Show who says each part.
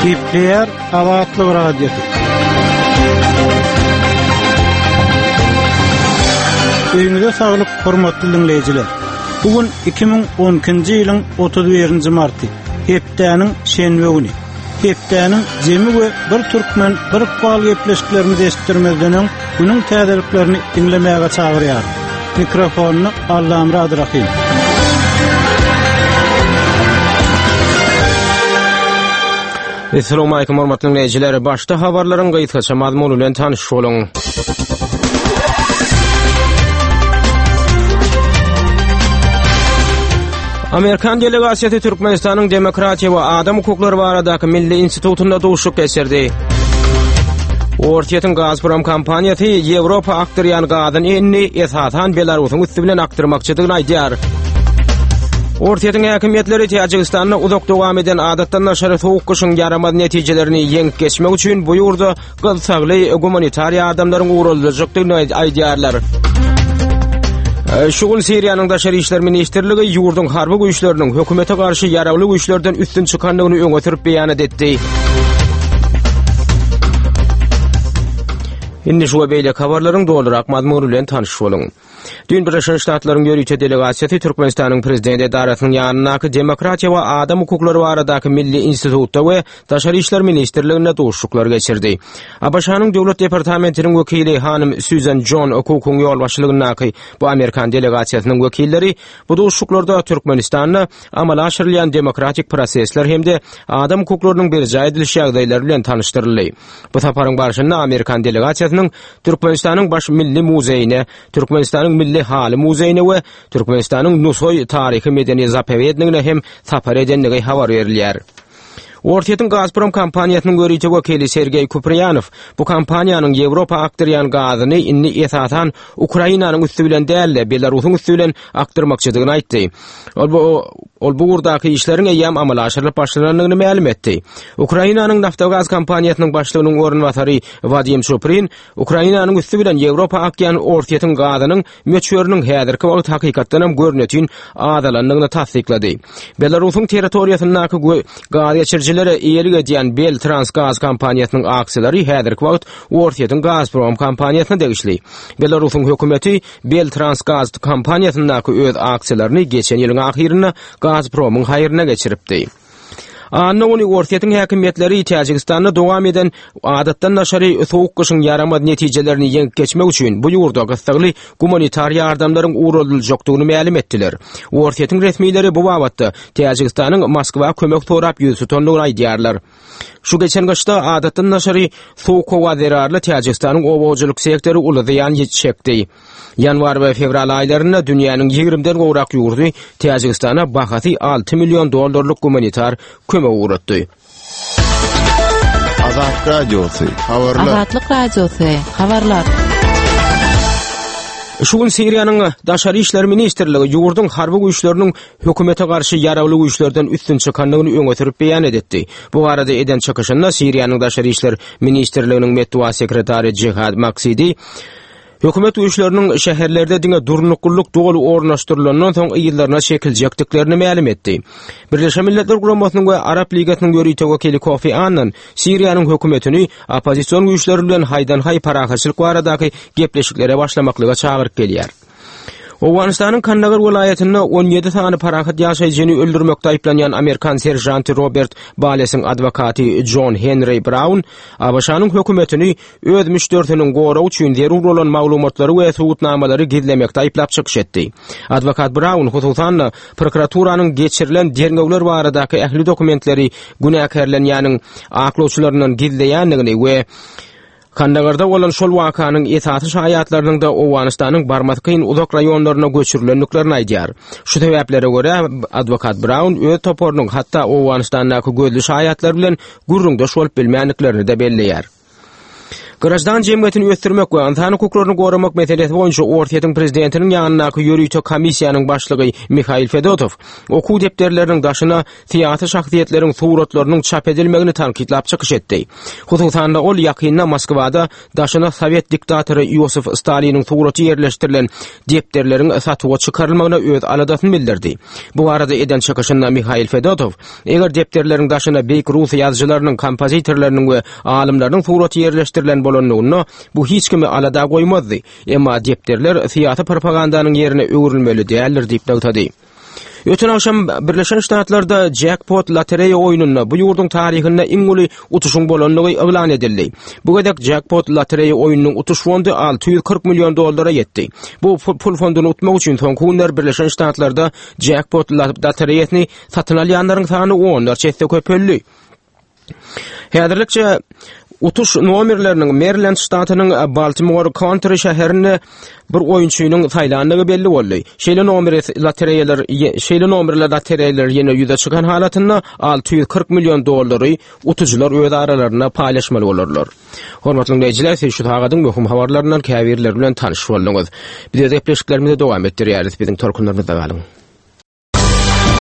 Speaker 1: Gepleýär Azatlyk Radiosy. Öýüňize saglyk, hormatly diňleýjiler. Bu gün 2012-nji ýylyň 31-nji marty, hepdäniň şenbe güni. Hepdäniň jemi we bir türkmen, bir ykbal gepleşiklerimizi eşitdirmezden öň, günüň täzeliklerini diňlemäge çagyrýarys. Mikrofonda Allamyrat Rahym.
Speaker 2: Assalamualaikum hormatly dinleýjiler. Başda habarlaryň gysgaça mazmuny bilen tanyş boluň. Amerikan delegasiýasy Türkmenistanyň Demokratiýa we adam hukuklary baradaky milli institutynda duşuşyk geçirdi. Orsýetiň Gazprom kompaniýasy Ýewropa akdyrýan gazyny indi esasan Belarusyň üsti bilen akdyrmakçydygyny aýdýar. Orsýetiň häkimiýetleri Täjigistanda uzak dowam eden adatdan daşary sowuk gyşyň ýaramaz netijelerini ýeňip geçmek üçin bu ýurda gyssagly gumanitar ýardamlaryň ugraljakdygyny aýdýarlar. Şu gün Siriýanyň Daşary işler ministrligi ýurduň harby güýçleriniň hökümete garşy ýaragly güýçlerden üstün çykandygyny öňe sürüp beýanat etdi. Indi şu we beýleki habarlaryň dolurak mazmuny bilen tanyş boluň. Düýn Birleşen Ştatlaryň ýörite delegasiýasy Türkmenistanyň Prezident edarasynyň ýanyndaky Demokratiýa we adam hukuklary baradaky milli institutda we Daşary işler ministrliginde duşuşyklar geçirdi. ABŞ-nyň Döwlet departamentiniň wekili hanym Sýuzan Jon Kukuň ýolbaşçylygyndaky bu amerikan delegasiýasynyň wekilleri bu duşuşyklarda Türkmenistanda amala aşyrylýan demokratik prosesler hem-de adam hukuklarynyň berjaý ediliş ýagdaýlary bilen tanyşdyryldy. Bu saparyň barşynda amerikan delegasiýasynyň Türkmenistanyň Baş milli muzeýine, Türkmenistanyň Milli haly muzeýine we Türkmenistanyň Nusaý taryhy-medeni zapowednigine hem sapar edendigi habar berilýär. Orsýetiň Gazprom kompaniýasynyň ýörite wekili Sergeý Kupriýanow bu kompaniýanyň Ýewropa akdyrýan gazyny indi esasan Ukrainanyň üsti bilen däl-de, Belarusyň üsti bilen akdyrmakçydygyny aýtdy. Ol bu ol bu ugurdaky işleriň eýýäm amala aşyrylyp başlanandygyny mälim etdi. Ukrainanyň Naftogaz kompaniýasynyň başlygynyň orunbasary Wadim Çuprin Ukrainanyň üsti bilen Ýewropa akýan Orsýetiň gazynyň möçberiniň häzirki wagt hakykatdanam görnetin azalandygyny tassyklady. Belarusyň territoriýasyndaky gaz geçirijilere eýelik edýän Beltransgaz kompaniýasynyň aksiýalary häzirki wagt Orsýetiň Gazprom kompaniýasyna degişli. Belarusyň hökümeti Beltransgaz kompaniýasyndaky öz aksiýalaryny geçen ýylyň ahyrynda Gazpromyň haýryna geçiripdi. Anna güni Orsýetiň häkimiýetleri Täjigistanda dowam eden adatdan daşary sowuk gyşyň ýaramaz netijelerini ýeňip geçmek üçin bu ýurda gyssagly gumanitar ýardamlaryň ugradyljakdygyny mälim etdiler. Orsýetiň resmileri bu babatda Täjigistanyň Moskwa kömek sorap ýüz tutandygyny aýdýarlar. Şu geçen gyşda adatdan daşary sowuk howa zerarly Täjigistanyň oba hojalyk sektory uly zyýan çekdi. Ýanwar we fewral aýlarynda dünýäniň ýigrimden gowrak ýurdy Täjigistana bahasy 6 million dollarlyk gumanitar kömek ugratdy.
Speaker 3: Azat Radiosy, habarlar.
Speaker 4: Azatlyk Radiosy, habarlar.
Speaker 2: Şu gün Siriýanyň Daşary işler ministrligi ýurduň harby güýçleriniň hökümete garşy ýaragly güýçlerden üstün çykandygyny öňe sürüp beýan edetdi. Bu barada eden çykyşynda Siriýanyň Daşary işler ministrliginiň metbugat sekretary Jihad Maksidi Hökümet güýçleriniň şäherlerde diňe durnuklylyk doly ornaşdyrylandan soň yzlaryna çekiljekdiklerini mälim etdi. Birleşen Milletler Guramasynyň we Arap Ligasynyň ýörite wekili Kofi Annan Siriýanyň hökümetini oppozision güýçler bilen haýdan-haý parahatçylyk baradaky gepleşiklere başlamaklyga çagyryp gelýär. Owganystanyň Kandagar welaýatynda 17 sany parahat ýaşaýjyny öldürmekde aýyplanýan amerikan seržanty Robert Balesiň adwokaty Jon Henri Braun ABŞ-nyň hökümetini öz müşderisiniň goragy üçin zerur bolan maglumatlary we subutnamalary gizlemekde aýyplap çykyş etdi. Adwokat Braun, hususan-da, prokuraturanyň geçirilen derňewler baradaky ähli dokumentleri günäkärlenýäniň aklawçylaryndan gizleýändigini we Kandagarda bolan şol wakanyň esasy şaýatlarynyň-da Owganystanyň barmasy kyn uzak raýonlaryna göçürilendiklerini aýdýar. Şu sebäplere görä, adwokat Braun öz toparynyň hatda Owganystandaky gözli şaýatlar bilen gürrüňdeş bolup bilmändiklerini-de belleýär. Graždan jemgyýetini ösdürmek we ynsan hukuklaryny goramak meselesi boýunça Orsýetiň prezidentiniň ýanyndaky ýörite komissiýanyň başlygy Mihail Fedotow okuw depderleriniň daşyna syýasy şahsyýetleriň suratlarynyň çap edilmegini tankytlap çykyş etdi. Hususan-da, ol ýakynda Moskwada daşyna sowet diktatory Iosif Staliniň suraty ýerleşdirilen depderleriň satuwa çykarylmagyna öz aladasyny bildirdi. Bu barada eden çykyşynda Mihail Fedotow, Eger depderleriň daşyna beýik rus ýazyjylarynyň, kompozitorlarynyň we alymlarynyň suraty ýerleşdirilen bolanlygynda, bu hiç kimi alada goýmazdy. Emma depderler syýasy propagandanyň ýerine öwrülmeli däldir diýip nygtady. Öten agşam Birleşen Ştatlarda jekpot lotereýa oýnunda bu ýurduň taryhynda iň uly utuşyň bolandygy yglan edildi. Bu gezek jekpot lotereýa oýnunyň utuş fondy 640 million dollara ýetdi. Bu pul fonduny utmak üçin soňky günler Birleşen Ştatlarda jekpot lotereýasyny satyn alýanlaryň sany onlarça esse köpeldi. Häzirlikçe utuş nomerleriniň Merilend ştatynyň Baltimor Country şäherinde bir oýunçynyň saýlandygy belli boldy. Şeýle nomeri lotereýalar şeýle nomerli lotereýalar ýene ýüze çykan halatynda 640 million dollary utujylar öz aralarynda paýlaşmaly bolarlar. Hormatly diňleýjiler, siz şu sagadyň möhüm habarlaryndan käbirleri bilen tanyş bolduňyz. Biz öz gepleşiklerimizi dowam etdirýäris. Biziň tolkunlarymyzda galyň.